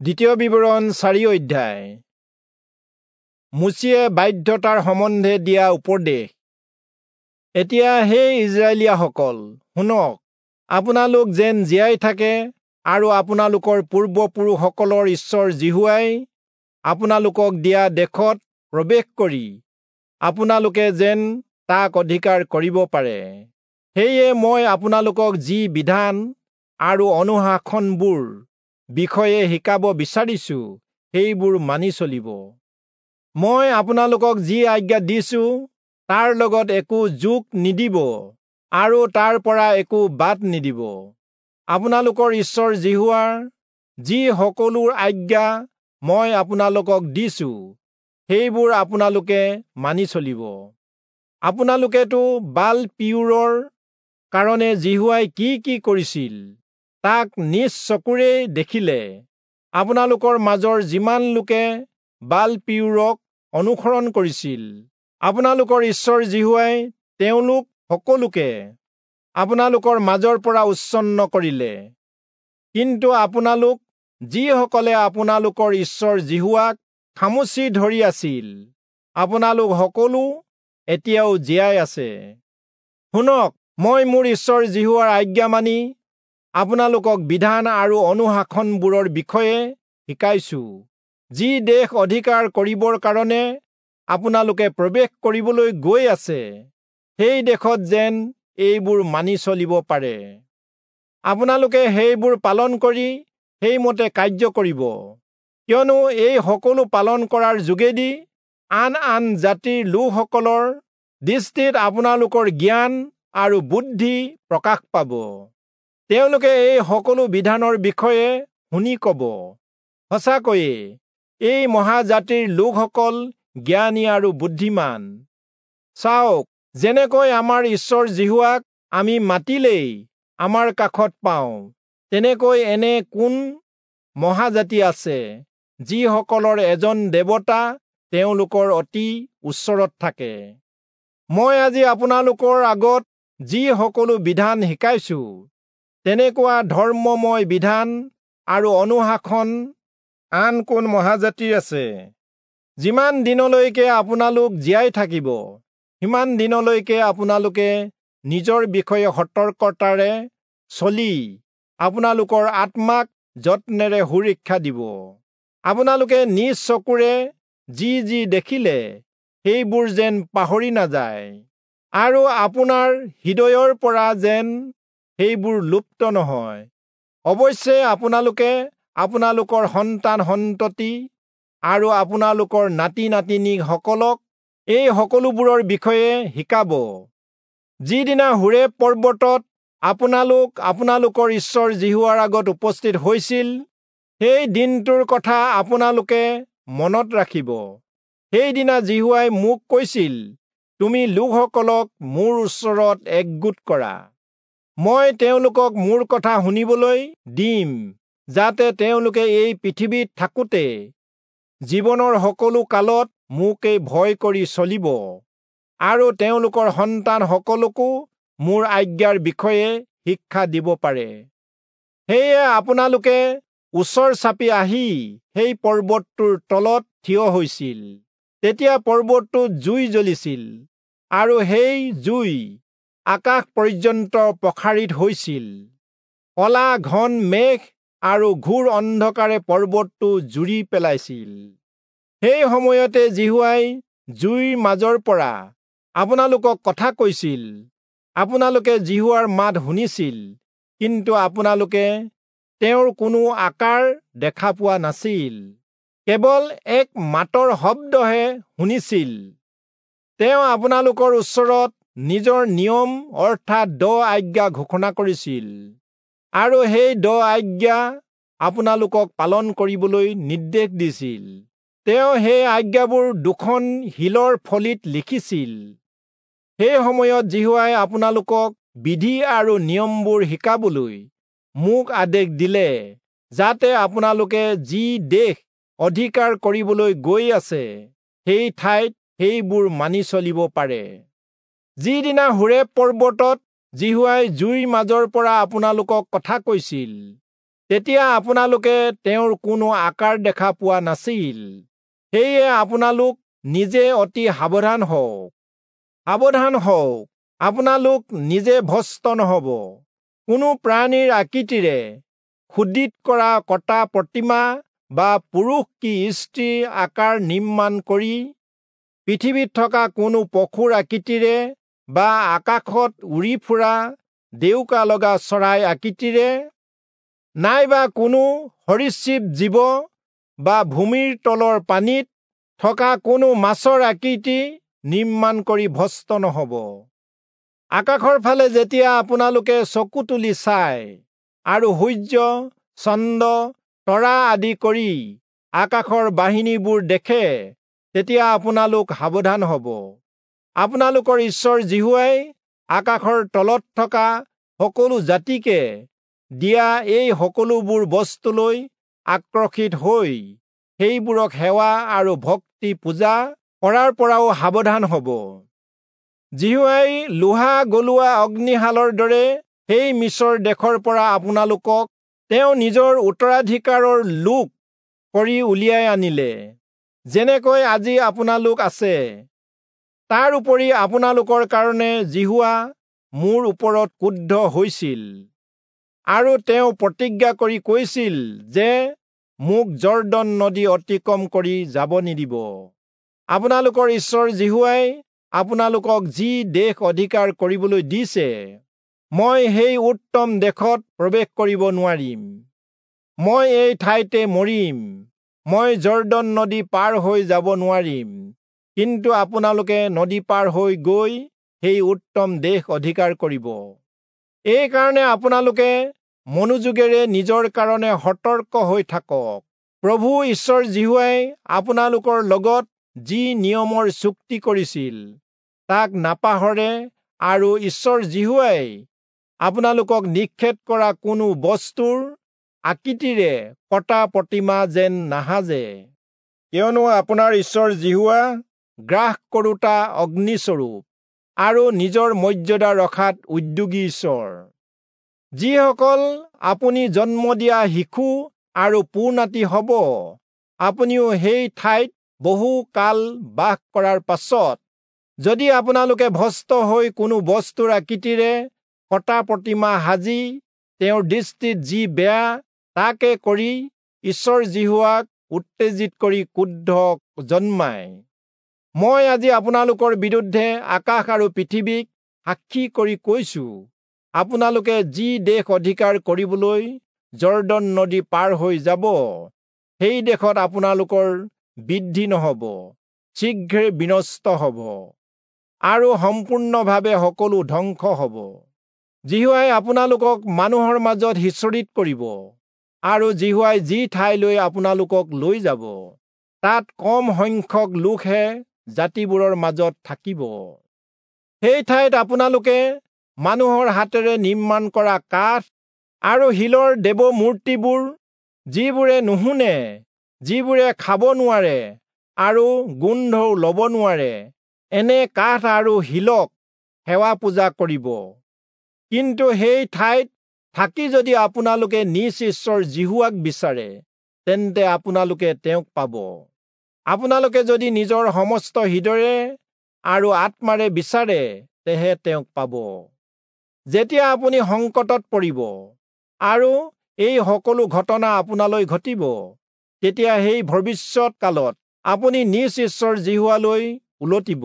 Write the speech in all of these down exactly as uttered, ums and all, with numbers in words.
দ্বিতীয় বিৱৰণ চাৰি অধ্যায়। মোচিয়ে বাধ্যতাৰ সম্বন্ধে দিয়া উপদেশ। এতিয়া হে ইস্ৰায়েলীয়াসকল, শুনক, আপোনালোক যেন জীয়াই থাকে আৰু আপোনালোকৰ পূৰ্বপুৰুষসকলৰ ঈশ্বৰ যিহোৱাই আপোনালোকক দিয়া দেশত প্ৰৱেশ কৰি আপোনালোকে যেন তাক অধিকাৰ কৰিব পাৰে। সেয়ে মই আপোনালোকক যি বিধান আৰু অনুশাসনবোৰ বিষয়ে শিকাব বিচাৰিছো, সেইবোৰ মানি চলিব। মই আপোনালোকক যি আজ্ঞা দিছো, তাৰ লগত একো যোগ নিদিব আৰু তাৰ পৰা একো বাদ নিদিব। আপোনালোকৰ ঈশ্বৰ যিহোৱাৰ যি সকলো আজ্ঞা মই আপোনালোকক দিছো, সেইবোৰ আপোনালোকে মানি চলিব। আপোনালোকেতো বাল পিয়ুৰৰ কাৰণে যিহোৱাই কি কি কৰিছিল, তাক নিজ চকুৰেই দেখিলে। আপোনালোকৰ মাজৰ যিমান লোকে বাল পিয়ুৰক অনুসৰণ কৰিছিল, আপোনালোকৰ ঈশ্বৰ যিহোৱাই তেওঁলোক সকলোকে আপোনালোকৰ মাজৰ পৰা উচ্ছন্ন কৰিলে। কিন্তু আপোনালোক যিসকলে আপোনালোকৰ ঈশ্বৰ যিহোৱাক খামুচি ধৰি আছিল, আপোনালোক সকলো এতিয়াও জীয়াই আছে। শুনক, মই মোৰ ঈশ্বৰ যিহোৱাৰ আজ্ঞা মানি আপোনালোকক বিধান আৰু অনুশাসনবোৰৰ বিষয়ে শিকাইছো, যি দেশ অধিকাৰ কৰিবৰ কাৰণে আপোনালোকে প্ৰৱেশ কৰিবলৈ গৈ আছে, সেই দেশত যেন এইবোৰ মানি চলিব পাৰে। আপোনালোকে সেইবোৰ পালন কৰি সেইমতে কাৰ্য কৰিব, কিয়নো এই সকলো পালন কৰাৰ যোগেদি আন আন জাতিৰ লোকসকলৰ দৃষ্টিত আপোনালোকৰ জ্ঞান আৰু বুদ্ধি প্ৰকাশ পাব। তেওঁলোকে এই সকলো বিধানৰ বিষয়ে শুনি কব, সঁচাকৈয়ে এই মহাজাতিৰ লোকসকল জ্ঞানী আৰু বুদ্ধিমান। চাওক, যেনেকৈ আমাৰ ঈশ্বৰ যিহোৱাক আমি মাতিলেই আমাৰ কাষত পাওঁ, তেনেকৈ এনে কোন মহাজাতি আছে, যিসকলৰ এজন দেৱতা তেওঁলোকৰ অতি ওচৰত থাকে। মই আজি আপোনালোকৰ আগত যি সকলো বিধান শিকাইছো, তেনেকুৱা ধৰ্মময় বিধান আৰু অনুশাসন আন কোন মহাজাতিৰ আছে? যিমান দিনলৈকে আপোনালোক জীয়াই থাকিব, সিমান দিনলৈকে আপোনালোকে নিজৰ বিষয়ে সতৰ্কতাৰে চলি আপোনালোকৰ আত্মাক যত্নেৰে সুৰক্ষা দিব। আপোনালোকে নিজ চকুৰে যি যি দেখিলে, সেইবোৰ যেন পাহৰি নাযায়, আৰু আপোনাৰ হৃদয়ৰ পৰা যেন সেইবোৰ লুপ্ত নহয়। অৱশ্যে আপোনালোকে আপোনালোকৰ সন্তান সন্ততি আৰু আপোনালোকৰ নাতি নাতিনীসকলক এই সকলোবোৰৰ বিষয়ে শিকাব। যিদিনা হোৰেব পৰ্বতত আপোনালোক আপোনালোকৰ ঈশ্বৰ যিহোৱাৰ আগত উপস্থিত হৈছিল, সেই দিনটোৰ কথা আপোনালোকে মনত ৰাখিব। সেইদিনা যিহোৱাই মোক কৈছিল, তুমি লোকসকলক মোৰ ওচৰত একগোট কৰা, মই তেওঁলোকক মোৰ কথা শুনিবলৈ দিম, যাতে তেওঁলোকে এই পৃথিৱীত থাকোঁতে জীৱনৰ সকলো কালত মোকেই ভয় কৰি চলিব, আৰু তেওঁলোকৰ সন্তানসকলকো মোৰ আজ্ঞাৰ বিষয়ে শিক্ষা দিব পাৰে। সেয়ে আপোনালোকে ওচৰ চাপি আহি সেই পৰ্বতটোৰ তলত থিয় হৈছিল। তেতিয়া পৰ্বতটোত জুই জ্বলিছিল, আৰু সেই জুই আকাশ পৰ্যন্ত প্ৰসাৰিত হৈছিল। কলা ঘন মেঘ আৰু ঘোৰ অন্ধকাৰে পৰ্বতটো জুৰি পেলাইছিল। সেই সময়তে যিহোৱাই জুইৰ মাজৰ পৰা আপোনালোকক কথা কৈছিল। আপোনালোকে যিহোৱাৰ মাত শুনিছিল, কিন্তু আপোনালোকে তেওঁৰ কোনো আকাৰ দেখা পোৱা নাছিল, কেৱল এক মাতৰ শব্দহে শুনিছিল। তেওঁ আপোনালোকৰ ওচৰত নিজৰ নিয়ম অৰ্থাৎ দহ আজ্ঞা ঘোষণা কৰিছিল, আৰু সেই দহ আজ্ঞা আপোনালোকক পালন কৰিবলৈ নিৰ্দেশ দিছিল। তেওঁ সেই আজ্ঞাবোৰ দুখন শিলৰ ফলিত লিখিছিল। সেই সময়ত যিহোৱাই আপোনালোকক বিধি আৰু নিয়মবোৰ শিকাবলৈ মোক আদেশ দিলে, যাতে আপোনালোকে যি দেশ অধিকাৰ কৰিবলৈ গৈ আছে, সেই ঠাইত সেইবোৰ মানি চলিব পাৰে। যিদিনা হোৰেব পৰ্বতত যিহোৱাই জুইৰ মাজৰ পৰা আপোনালোকক কথা কৈছিল, তেতিয়া আপোনালোকে তেওঁৰ কোনো আকাৰ দেখা পোৱা নাছিল। সেয়ে আপোনালোক নিজে অতি সাৱধান হওক, সাৱধান হওক, আপোনালোক নিজে ভ্ৰষ্ট নহব। কোনো প্ৰাণীৰ আকৃতিৰে খোদিত কৰা কটা প্ৰতিমা বা পুৰুষ কি স্ত্ৰীৰ আকাৰ নিৰ্মাণ কৰি পৃথিৱীত থকা কোনো পশুৰ আকৃতিৰে বা আকাশত উৰি ফুৰা ডেউকা লগা চৰাই আকৃতিৰে নাইবা কোনো সৰীসৃপ জীৱ বা ভূমিৰ তলৰ পানীত থকা কোনো মাছৰ আকৃতি নিৰ্মাণ কৰি ভ্ৰষ্ট নহব। আকাশৰ ফালে যেতিয়া আপোনালোকে চকু তুলি চায় আৰু সূৰ্য, চন্দ্ৰ, তৰা আদি কৰি আকাশৰ বাহিনীবোৰ দেখে, তেতিয়া আপোনালোক সাৱধান হব। আপোনালোকৰ ঈশ্বৰ যিহোৱাই আকাশৰ তলত থকা সকলো জাতিকে দিয়া এই সকলোবোৰ বস্তুলৈ আকৰ্ষিত হৈ সেইবোৰক সেৱা আৰু ভক্তি পূজা কৰাৰ পৰাও সাৱধান হব। যিহোৱাই লোহা গলোৱা অগ্নিশালৰ দৰে সেই মিচৰ দেশৰ পৰা আপোনালোকক তেওঁ নিজৰ উত্তৰাধিকাৰৰ লোক কৰি উলিয়াই আনিলে, যেনেকৈ আজি আপোনালোক আছে। তাৰ উপৰি আপোনালোকৰ কাৰণে যিহোৱা মোৰ ওপৰত ক্ৰুদ্ধ হৈছিল আৰু তেওঁ প্ৰতিজ্ঞা কৰি কৈছিল যে মোক যৰ্দন নদী অতিক্ৰম কৰি যাব নিদিব। আপোনালোকৰ ঈশ্বৰ যিহোৱাই আপোনালোকক যি দেশ অধিকাৰ কৰিবলৈ দিছে, মই সেই উত্তম দেশত প্ৰৱেশ কৰিব নোৱাৰিম। মই এই ঠাইতে মৰিম, মই যৰ্দন নদী পাৰ হৈ যাব নোৱাৰিম। কিন্তু আপোনালোকে নদী পাৰ হৈ গৈ সেই উত্তম দেশ অধিকাৰ কৰিব। এইকাৰণে আপোনালোকে মনোযোগেৰে নিজৰ কাৰণে সতৰ্ক হৈ থাকক। প্ৰভু ঈশ্বৰ যিহোৱাই আপোনালোকৰ লগত যি নিয়মৰ চুক্তি কৰিছিল তাক নাপাহৰে আৰু ঈশ্বৰ যিহোৱাই আপোনালোকক নিষেধ কৰা কোনো বস্তুৰ আকৃতিৰে কটা প্ৰতিমা যেন নাসাজে, কিয়নো আপোনাৰ ঈশ্বৰ যিহোৱা গ্ৰাস কৰোঁতা অগ্নিস্বৰূপ আৰু নিজৰ মৰ্যাদা ৰখাত উদ্যোগী ঈশ্বৰ। যিসকল আপুনি জন্ম দিয়া শিশু আৰু পু-নাতি হ'ব, আপুনিও সেই ঠাইত বহু কাল বাস কৰাৰ পাছত যদি আপোনালোকে ভ্ৰষ্ট হৈ কোনো বস্তুৰ আকৃতিৰে কটা প্ৰতিমা সাজি তেওঁৰ দৃষ্টিত যি বেয়া তাকে কৰি ঈশ্বৰ যিহোৱাক উত্তেজিত কৰি ক্ৰোধ জন্মায়, মই আজি আপোনালোকৰ বিৰুদ্ধে আকাশ আৰু পৃথিৱীক সাক্ষী কৰি কৈছো, আপোনালোকে যি দেশ অধিকাৰ কৰিবলৈ যৰ্দন নদী পাৰ হৈ যাব, সেই দেশত আপোনালোকৰ বৃদ্ধি নহব, শীঘ্ৰে বিনষ্ট হব আৰু সম্পূৰ্ণভাৱে সকলো ধ্বংস হব। যিহোৱাই আপোনালোকক মানুহৰ মাজত সিঁচৰিত কৰিব আৰু যিহোৱাই যি ঠাইলৈ আপোনালোকক লৈ যাব, তাত কম সংখ্যক লোকহে জাতিবোৰৰ মাজত থাকিব। সেই ঠাইত আপোনালোকে মানুহৰ হাতেৰে নিৰ্মাণ কৰা কাঠ আৰু শিলৰ দেৱ মূৰ্তিবোৰ, যিবোৰে নুশুনে, যিবোৰে খাব নোৱাৰে আৰু গোন্ধও ল'ব নোৱাৰে, এনে কাঠ আৰু শিলক সেৱা পূজা কৰিব। কিন্তু সেই ঠাইত থাকি যদি আপোনালোকে নিজ ঈশ্বৰ যিহোৱাক বিচাৰে, তেন্তে আপোনালোকে তেওঁক পাব। আপোনালোকে যদি নিজৰ সমস্ত হৃদয়েৰে আৰু আত্মাৰে বিচাৰে, তেহে তেওঁক পাব। যেতিয়া আপুনি সংকটত পৰিব আৰু এই সকলো ঘটনা আপোনালৈ ঘটিব, তেতিয়া সেই ভৱিষ্যত কালত আপুনি নিজ ঈশ্বৰ যিহোৱালৈ উলটিব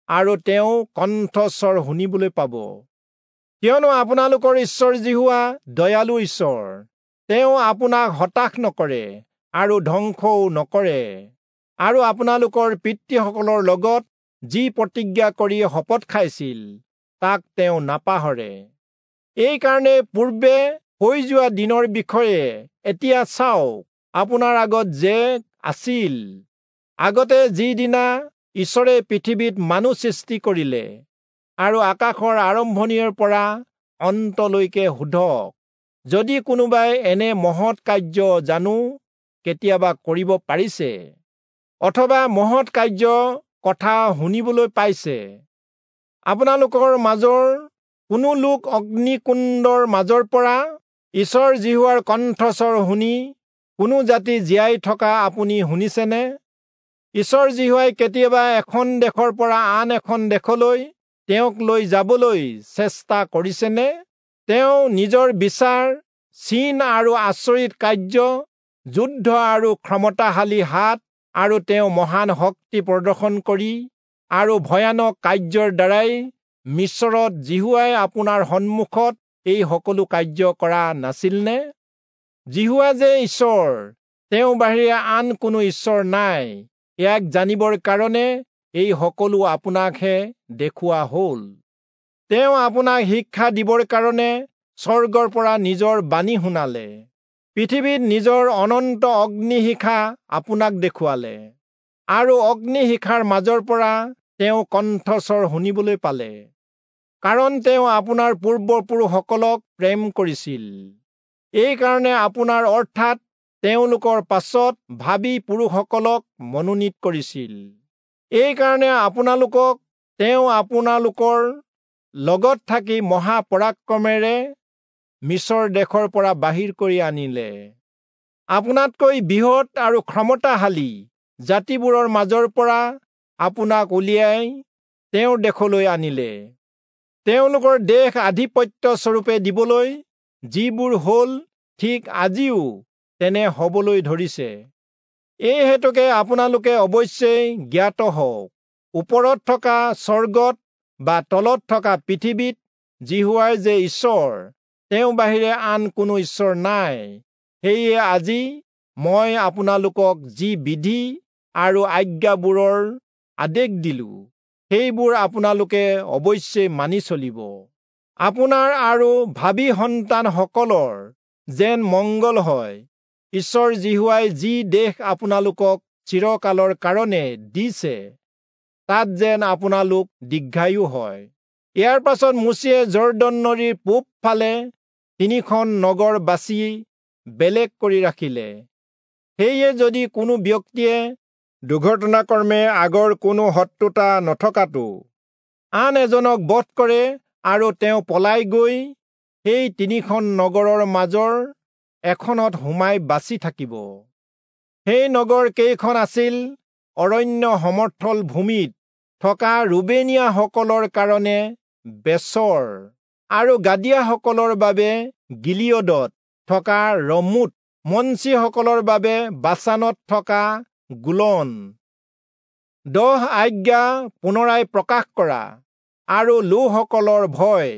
আৰু তেওঁ কণ্ঠস্বৰ শুনিবলৈ পাব। কিয়নো আপোনালোকৰ ঈশ্বৰ যিহোৱা দয়ালু ঈশ্বৰ, তেওঁ আপোনাক হতাশ নকৰে আৰু ধ্বংসও নকৰে, আৰু আপোনালোকৰ পিতৃসকলৰ লগত যি প্ৰতিজ্ঞা কৰি শপত খাইছিল তাক তেওঁ নাপাহৰে। এইকাৰণে পূৰ্বে হৈ যোৱা দিনৰ বিষয়ে এতিয়া চাওক, আপোনাৰ আগত যে আছিল, আগতে যিদিনা ঈশ্বৰে পৃথিৱীত মানুহ সৃষ্টি কৰিলে আৰু আকাশৰ আৰম্ভণিৰ পৰা অন্তলৈকে সোধক, যদি কোনোবাই এনে মহৎ কাৰ্য জানো কেতিয়াবা কৰিব পাৰিছে, অথবা মহৎ কাৰ্য কথা শুনিবলৈ পাইছে। আপোনালোকৰ মাজৰ কোনো লোক অগ্নিকুণ্ডৰ মাজৰ পৰা ঈশ্বৰ যিহোৱাৰ কণ্ঠস্বৰ শুনি কোনো জাতি জীয়াই থকা আপুনি শুনিছেনে? ঈশ্বৰ যিহোৱাই কেতিয়াবা এখন দেশৰ পৰা আন এখন দেশলৈ তেওঁক লৈ যাবলৈ চেষ্টা কৰিছেনে? তেওঁ নিজৰ বিচাৰ, চিন আৰু আচৰিত কাৰ্য, যুদ্ধ আৰু ক্ষমতাশালী হাত আৰু তেওঁ মহান শক্তি প্ৰদৰ্শন কৰি আৰু ভয়ানক কাৰ্যৰ দ্বাৰাই মিচৰত যিহোৱাই আপোনাৰ সন্মুখত এই সকলো কাৰ্য কৰা নাছিলনে? যিহোৱা যে ঈশ্বৰ, তেওঁ বাহিৰে আন কোনো ঈশ্বৰ নাই, ইয়াক জানিবৰ কাৰণে এই সকলো আপোনাকহে দেখুওৱা হ'ল। তেওঁ আপোনাক শিক্ষা দিবৰ কাৰণে স্বৰ্গৰ পৰা নিজৰ বাণী শুনালে, পৃথিৱীত নিজৰ অনন্ত অগ্নিশিখা আপোনাক দেখুৱালে, আৰু অগ্নিশিখাৰ মাজৰ পৰা তেওঁ কণ্ঠস্বৰ শুনিবলৈ পালে, কাৰণ তেওঁ আপোনাৰ পূৰ্বপুৰুষসকলক প্ৰেম কৰিছিল। এইকাৰণে আপোনাৰ অৰ্থাৎ তেওঁলোকৰ পাছত ভাবী পুৰুষসকলক মনোনীত কৰিছিল। এইকাৰণে আপোনালোকক তেওঁ আপোনালোকৰ লগত থাকি মহাপৰাক্ৰমেৰে মিচৰ দেশৰ পৰা বাহিৰ কৰি আনিলে। আপোনাতকৈ বৃহৎ আৰু ক্ষমতাশালী জাতিবোৰৰ মাজৰ পৰা আপোনাক উলিয়াই তেওঁৰ দেশলৈ আনিলে, তেওঁলোকৰ দেশ আধিপত্য স্বৰূপে দিবলৈ, যিবোৰ হ'ল ঠিক আজিও তেনে হ'বলৈ ধৰিছে। এই হেতুকে আপোনালোকে অৱশ্যেই জ্ঞাত হওক, ওপৰত থকা স্বৰ্গত বা তলত থকা পৃথিৱীত যিহোৱাই যে ঈশ্বৰ, তেওঁ বাহিৰে আন কোনো ঈশ্বৰ নাই। সেয়ে আজি মই আপোনালোকক যি বিধি আৰু আজ্ঞাবোৰৰ আদেশ দিলো, সেইবোৰ আপোনালোকে অৱশ্যেই মানি চলিব। আপোনাৰ আৰু ভাবী সন্তানসকলৰ যেন মংগল হয়। ঈশ্বৰ যিহোৱাই যি দেশ আপোনালোকক চিৰকালৰ কাৰণে দিছে, তাত যেন আপোনালোক দীৰ্ঘায়ু হয়। ইয়াৰ পাছত মোচিয়ে যৰ্দন নদীৰ পূব ফালে তিনিখন নগৰ বাছি বেলেগ কৰি ৰাখিলে। সেয়ে যদি কোনো ব্যক্তিয়ে দুৰ্ঘটনাক্ৰমে আগৰ কোনো শত্ৰুতা নথকাটো আন এজনক বধ কৰে আৰু তেওঁ পলাই গৈ সেই তিনিখন নগৰৰ মাজৰ এখনত সোমাই বাচি থাকিব। সেই নগৰ কেইখন আছিল অৰণ্য সমৰ্থল ভূমিত থকা ৰুবেনীয়াসকলৰ কাৰণে বেচৰ আৰু গাদীয়াসকলৰ বাবে গিলিয়দত থকা ৰমোত, মনচিসকলৰ বাবে বাচানত থকা গোলন। দহ আজ্ঞা পুনৰাই প্ৰকাশ কৰা আৰু লোকসকলৰ ভয়।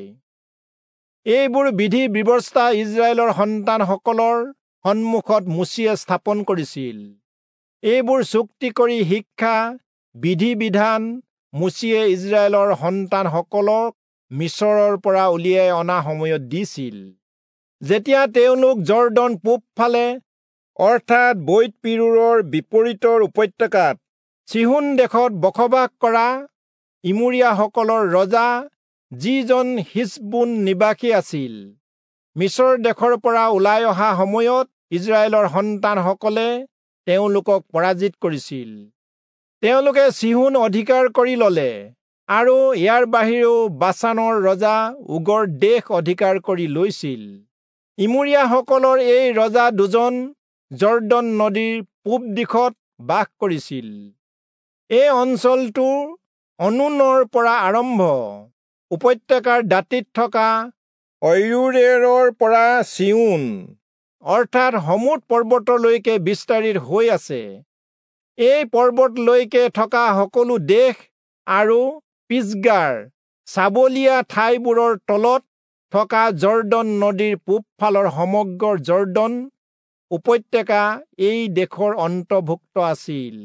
এইবোৰ বিধি ব্যৱস্থা ইস্ৰায়েলৰ সন্তানসকলৰ সন্মুখত মোচিয়ে স্থাপন কৰিছিল। এইবোৰ চুক্তি কৰি শিক্ষা বিধি বিধান মোচিয়ে ইস্ৰায়েলৰ সন্তানসকলক মিচৰৰ পৰা উলিয়াই অনা সময়ত দিছিল, যেতিয়া তেওঁলোক যৰ্দন পূবফালে অৰ্থাৎ বৈৎ-পিৰোৰৰ বিপৰীতৰ উপত্যকাত চিহোন দেশত বসবাস কৰা ইমোৰীয়াসকলৰ ৰজা, যিজন হিচবোন নিবাসী আছিল, মিচৰ দেশৰ পৰা ওলাই অহা সময়ত ইস্ৰায়েলৰ সন্তানসকলে তেওঁলোকক পৰাজিত কৰিছিল। তেওঁলোকে চিহোন অধিকাৰ কৰি ললে আৰু ইয়াৰ বাহিৰেও বাচানৰ ৰজা ওগৰ দেশ অধিকাৰ কৰি লৈছিল। ইমোৰীয়াসকলৰ এই ৰজা দুজন যৰ্দন নদীৰ পূব দিশত বাস কৰিছিল। এই অঞ্চলটো অৰ্ণোনৰ পৰা আৰম্ভ উপত্যকাৰ দাঁতিত থকা অৰোয়েৰৰ পৰা চিয়োন অৰ্থাৎ হৰ্মোন পৰ্বতলৈকে বিস্তাৰিত হৈ আছে। এই পৰ্বতলৈকে থকা সকলো দেশ আৰু পিচগাৰ চাবলীয়া ঠাইবোৰৰ তলত থকা যৰ্দন নদীৰ পূবফালৰ সমগ্ৰ যৰ্দন উপত্যকা এই দেশৰ অন্তৰ্ভুক্ত আছিল।